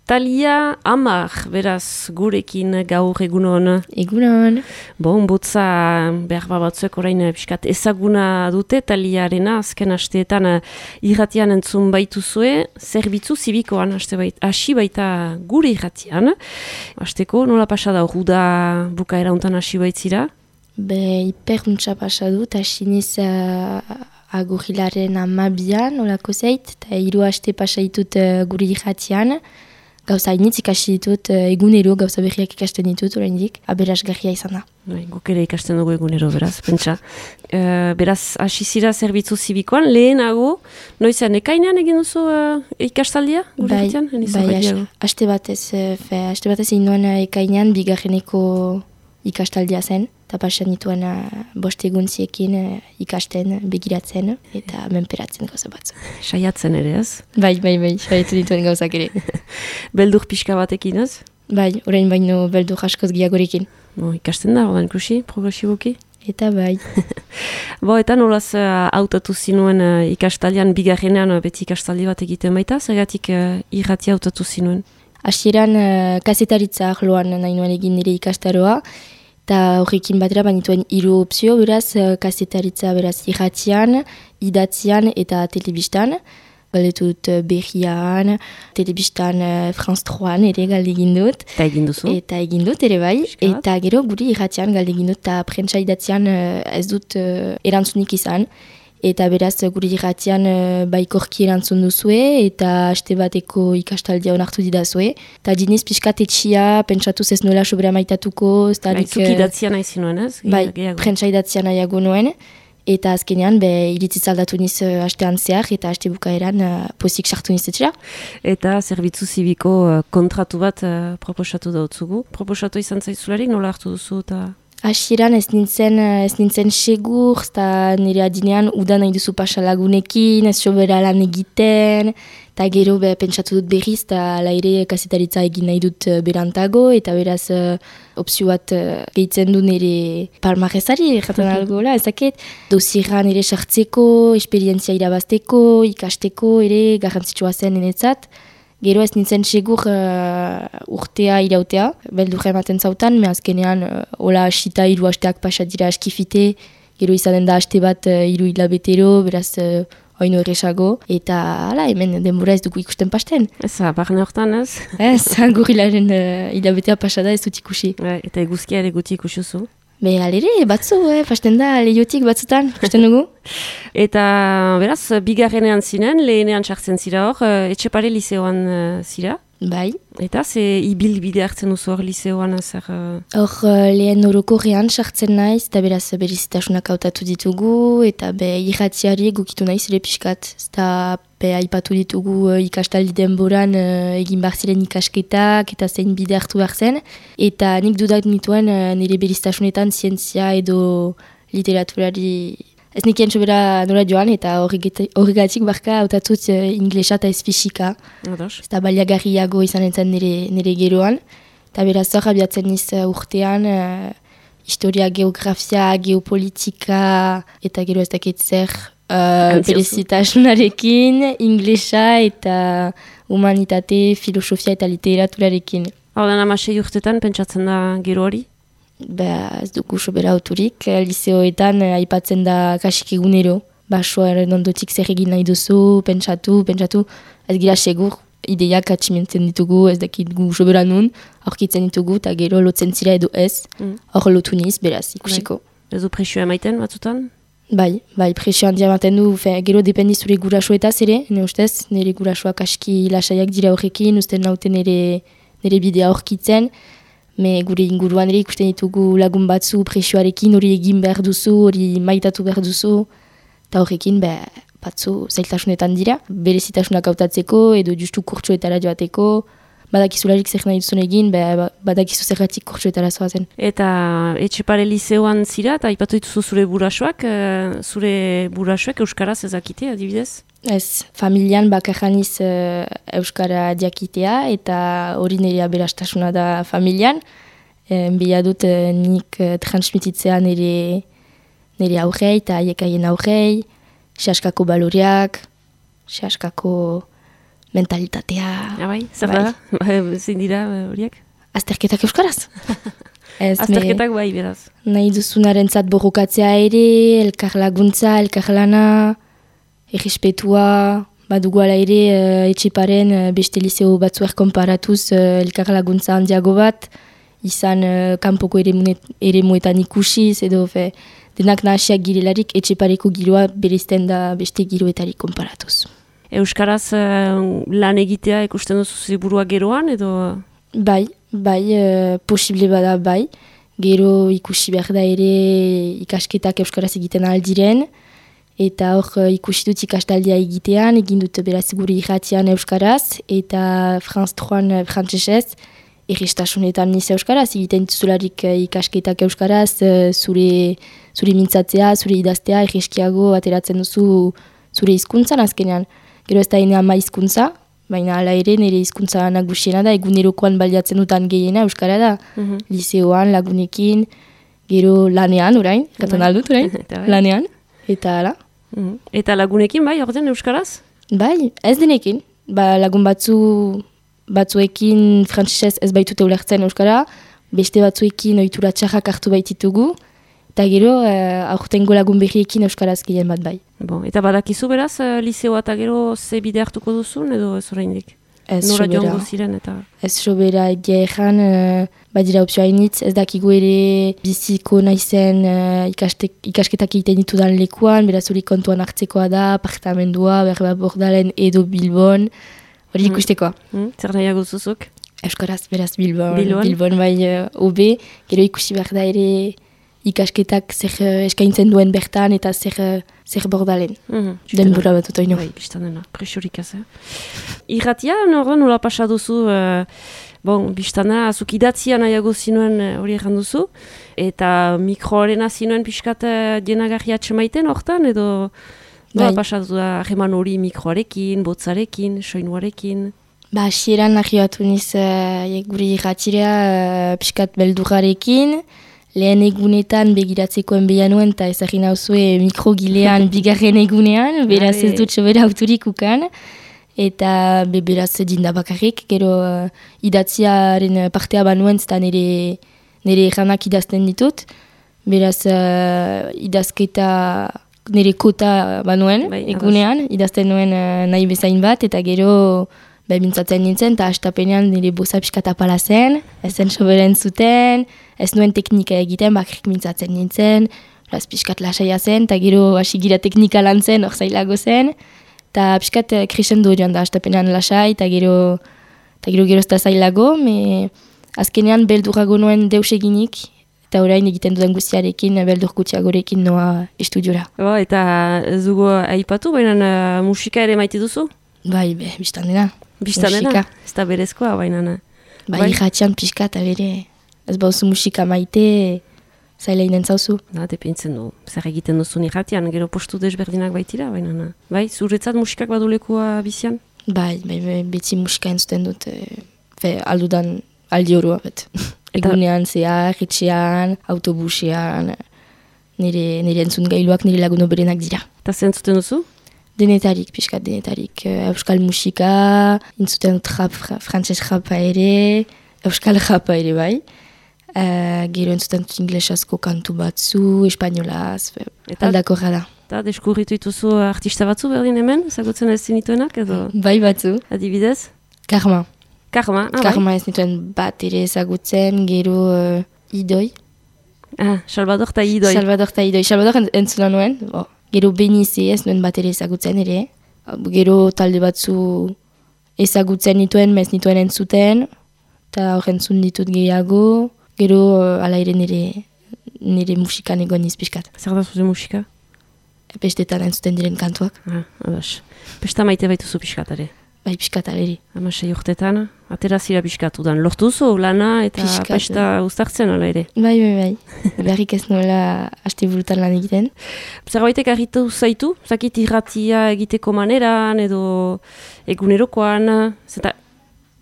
Talia Amar, beraz, gurekin gaur egunon. Egunon. Bon, botza behar batzuek orain pixkat ezaguna dute Taliarena, azken asteetan irratian entzun baituzue, zerbitzu zibikoan hasi baita gure irratian. Hasteko, nola pasada hor da bukaera hontan hasi baitzira? Hiperruntza pasadut, hasi niz agurrilaren 12an, olako zeit, eta 3 aste pasaitut gure irratian. Gauza hainitz ikasi ditut, egunero gauza berriak ikasten ditut, oraindik, aberasgarria izan da. Guk ere ikasten dugu egunero, beraz, pentsa. Beraz, hasi zira zerbitzu zibikoan, lehenago, noizean ekainean egin duzu ikastaldia? Bai, haste batez egin nuen ekainean, bigarreneko ikastaldia zen, eta pasan nituen 5 eguntziekin ikasten, begiratzen, eta menperatzen gauza batzu. Saiatzen ere, ez? Bai, saiatu dituen gauzak ere. Beldur pixka batekin, ez? Bai, orain baino beldur askoz gehiagorekin. Ikasten da, odan ikusi, progresiboki? Eta bai. Eta nolaz hautatu zinuen ikastaldian, bigarrenean beti ikastaldi bat egiten baita, zergatik irratia hautatu zinuen? Hasieran kazetaritza arloan nahi nuen egin nire ikastaroa, eta horrekin batera banituen 3 opzio, beraz, kazetaritza beraz irratian, idatzian eta telebistan. Galdetut berrian, telebistan France 3an ere galdegin dut. Eta egin duzu? Eta egin dut ere bai. Eta gero guri irratian galdegin dut, eta prentsa idatzian ez dut erantzunik izan. Eta beraz guri irratian baikorki erantzun duzue, eta haste bateko ikastaldia onartu didazue. Eta diniz pixkat etxia, pentsatuz ez nuela sobera maitatuko. Zuk idatzia nahi zinuen, ez? Bai, prentsa idatzia nahiago nuen. Eta azkenean, iritziz aldatu niz hastean zehar, eta haste bukaeran pozik sartu niz etxera. Eta zerbitzu zibiko kontratu bat proposatu dautzugu. Proposatu izan zaizularik, nola hartu duzu eta... Hasieran ez nintzen segur, eta nire adinean udan nahi duzu pasalagunekin, ez sobera lan egiten, eta gero pentsatu dut berriz, eta laire kazetaritza egin nahi dut berantago, eta beraz opzio bat gehitzen du nire palmarrezari, jaten algoela, ezakit, dosierra nire sartzeko, esperientzia irabazteko, ikasteko, ere garrantzitsua zen enetzat. Gero ez nintzen segur urtea irautea, beldurra ematen zautan, me azkenean hola asita 3 hasteak pasat dira askifite, gero izanen da haste bat 3 hilabetero, beraz oino erresago, eta hala, hemen denbora ez dugu ikusten pasten. Ez, barne hortan ez? Ez, gurilaren hilabetea pasada ez dut ikusi. Eta eguzkia ere guti ikusuzu? Alere, batzu, pasten da lehiotik batzutan, pasten dugu. Eta beraz, bigarrenean zinen, lehenean sartzen zira hor, Etxepare liseoan zira? Bai. Eta ze ibilbide hartzen duzu hor liseoan zer? Hor lehen orokorrean sartzen naiz, eta beraz berizitasunak hautatu ditugu, eta irratiari gukitu naiz ere pixkat. Eta aipatu ditugu ikastaldi denboran egin behar ziren ikasketak, eta zein bide hartu behar zen. Eta nik dudak nituen nire berizitasunetan zientzia edo literaturari... Ez nikien sobera nola joan, eta horregatik barka hautatut inglesa eta ez fisika. Eta baliagarriago izan entzan nire geroan. Eta beraz hor abiatzen niz urtean, historia, geografia, geopolitika, eta gero ez dakit zer berezitasunarekin, inglesa eta humanitate, filosofia eta literaturarekin. Hau da 16 urtetan pentsatzen da gero hori? Ez dugu sobera auturik, liseoetan aipatzen da kasik egunero. Basoaren ondotik zer egin nahi duzu, pentsatu, ez gira segur, ideiak atximentzen ditugu, ez dakit gu sobera nun, aurkitzen ditugu, eta gero lotzen zira edo ez, hor lotu niz, beraz, ikusiko. Ez du presioa emaiten batzutan? Bai, presioa handia ematen du, gero dependi zure gurasoetaz ere, ne ustez, nire gurasoak aski lasaiak dira horrekin, usten naute nire bidea aurkitzen, me gure inguruan ere ikusten ditugu lagun batzu presioarekin, hori egin behar duzu, hori maitatu behar duzu, eta horrekin batzu zailtasunetan dira, berezitasunak hautatzeko, edo justu kurtsoetara joateko, badakizularik zer nahi duzun egin, badakizu zergatik kurtsoetara zoazen. Eta Etxepare liseoan zira, eta aipatu dituzu zure burasoak euskaraz ezakite, adibidez? Ez, familian bakarraniz euskara diakitea, eta hori nire aberastasuna da familian. Bila dut nik transmititzea nire aurrei eta aiekaien aurrei, sehaskako baloreak, sehaskako mentalitatea. Bai, zer da? Zein dira horiek? Azterketak euskaraz. Azterketak bai, beraz. Nahi duzunarentzat borrokatzea ere, elkar laguntza, elkar lana, errespetua, badugu ala ere Etxeparen beste liceo batzuer konparatuz elkar laguntza handiago bat, izan kanpoko eremuetan ikusiz, edo denak nahasiak girelarik Etxepareko giroa bereizten da beste giroetarik konparatuz. Euskaraz lan egitea ikusten duzu ziburua geroan, edo? Bai, posible bada bai. Gero ikusi behar da ere ikasketak euskaraz egiten aldiren, eta hor ikusi dut ikastaldia egitean, egin dut beraz gure irratian euskaraz, eta France 3 frantsesez, errestasunetan niz euskaraz, egiten dituzularik ikasketak euskaraz, zure mintzatzea, zure idaztea, erreskiago ateratzen duzu zure hizkuntzan azkenean. Gero ez da ene ama hizkuntza, baina ala ere nire hizkuntza nagusiena da, egunerokoan baliatzen dutan gehiena euskara da. Liseoan, lagunekin, gero lanean orain, katan aldut orain, lanean, eta ala. Eta lagunekin bai, ordean euskaraz? Bai, ez denekin. Lagun batzuekin frantsesez ez baitute ulertzen euskara, beste batzuekin ohitura txarrak hartu baititugu, eta gero aurtengo lagun berriekin euskaraz gehien bat bai. Eta badakizu beraz, liseoa eta gero ze bide hartuko duzun, edo ez oraindik? Ez nora joango ziren eta... Ez sobera egia ezan, badira opzioa hainitz, ez dakigu ere biziko naizen ikasketak egiten ditudan lekuan, beraz hori kontuan hartzekoa da, apartamendua, berba Bordalen edo Bilbon, hori ikustekoa. Zer nahiago zuzuk? Euskaraz, beraz Bilbon bai obe, gero ikusi behar da ere ikasketak zer eskaintzen duen bertan eta zer Bordalen. Denbora bat otoino. Bai, biztan dena, presiorik ez. Irratia, nola pasa duzu, biztan dena, azuk idatzia nahiago zinuen hori egan duzu, eta mikroarena zinuen pixkat dienagarri atxemaiten hortan, edo nola pasa duzu hageman hori mikroarekin, botzarekin, soinuarekin? Hasieran nahi batu niz gure irratirea pixkat beldurrarekin, lehen egunetan begiratzekoen behan nuen eta ezagin hauzue mikrogilean bigarren egunean, beraz ez dut sobera autorik ukan, eta beraz dindabakarrik, gero idatziaren partea banuen eta nire eranak idazten ditut, beraz idazketa nire kota banuen egunean, idazten nuen nahi bezain bat, eta gero mintzatzen nintzen, eta hastapenean nire boza pixkat apala zen, ezen soberen zuten, ez nuen teknika egiten, bakrik mintzatzen nintzen, pixkat lasaia zen, eta gero hasi gira teknika lan zen, hor zailago zen, eta pixkat krisen du joan da hastapenean lasai, eta gero ez da zailago, azkenean beldurrago nuen deus eginik, eta orain egiten duden guztiarekin, beldur gutxiagorekin noa estudiora. Eta ez dugu aipatu, baina musika ere maite duzu? Bai, biztan dena. Biztan dena? Ez da berezkoa, baina. Bai, irratxan pixka eta bere, ez bauzu musika maite, zaila inen zauzu. Depintzen du, zer egiten duzun irratian, gero postu desberdinak baitira, baina. Bai, zuretzat musikak badulekua bizian? Bai, beti musika entzuten dut, aldudan aldi horua, bet. Egunean zehar, etxean, autobusean, nire entzun gailuak nire lagun oberenak dira. Eta zer entzuten duzu? Denetarik, pixkat denetarik. Euskal musika, intzuten dut frantses rapa ere, euskal rapa ere bai. Gero entzuten dut inglesazko kantu batzu, espainolaz, aldako da. Eta deskurritu dituzu artista batzu berdin hemen, ezagutzen ez zinituenak edo? Bai batzu. Adibidez? Karma. Karma ez nituen bat ere ezagutzen, gero idoi. Salvador eta idoi. Salvador entzuna nuen, gero Benize ez nuen bat ere ezagutzen ere. Gero talde batzu ezagutzen nituen, mez nituen entzuten, eta horrentzun ditut gehiago. Gero ala ere nire musikan egon izpiskat. Zer da zure musika? Pestetan entzuten diren kantuak. Pesta maite baituzu piskatare? Bai, piskataleri. 6 urtetan, aterazira piskatudan. Lortuzu lana eta pesta uztartzen ala ere? Bai. Berrik ez nola haste burutan lan egiten. Zerbaitek argitu zaitu? Zakit irratia egiteko maneran edo egunerokoan? Zeta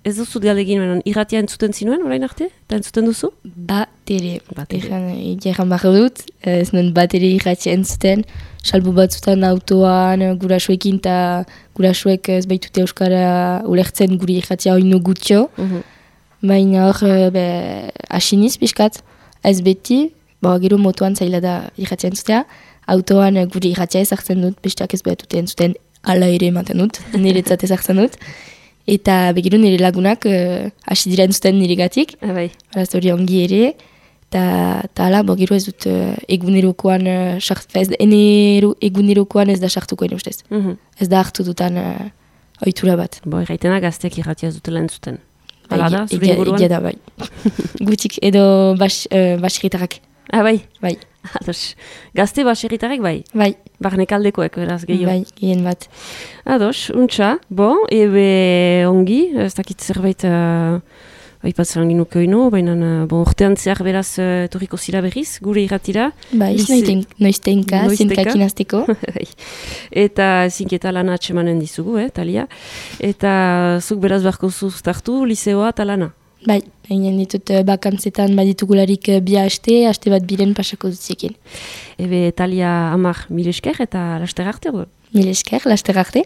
Ez duzu galdegin, irratia entzuten zinuen, orain arte? Eta entzuten duzu? Batere. Egan barra dut, ez nuen batere irratia entzuten, salbu batzutan autoan, gurasoekin, eta gurasoek ez baitute euskara ulertzen guri irratia oinu gutxo. Baina hor, asiniz pixkat, ez beti, gero motoan zaila da irratia entzutea, autoan guri irratia ezartzen dut, besteak ez baitute entzuten ala ere ematen dut, niretzat ezartzen dut. Eta begiro nire lagunak hasi dira entzuten niregatik, Araz hori ongi ere, eta ala, gero ez dut egunerokoan, egunerokoan ez da sartuko ene ustez. Ez da hartu dutan ohitura bat. Erraitena gazteak irratia ez dutela entzuten. Hala da, zure inguruan? Egia da, bai. Gutik, edo baserritarrak. Bai? Bai. Ados, gazte baserritarrek bai? Bai. Barnekaldekoek, beraz, gehiago? Bai, gehien bat. Ados, untxa, ebe ongi, ez dakit zerbait aipatzen ginuke oino, baina urtean zehar beraz etorriko zira berriz, gure irratira. Bai, noiztenka, zinkakin azteko. Eta zinketa lana atxemanen dizugu, Talia. Eta zuk beraz beharko zuztartu, liseoa eta lana. Bai, hainen ditut bakantzetan baditugularik bi aste bat biren pasako dutzekin. Ebe Talia Amar, mil esker eta laster arte. Mil esker, laster arte.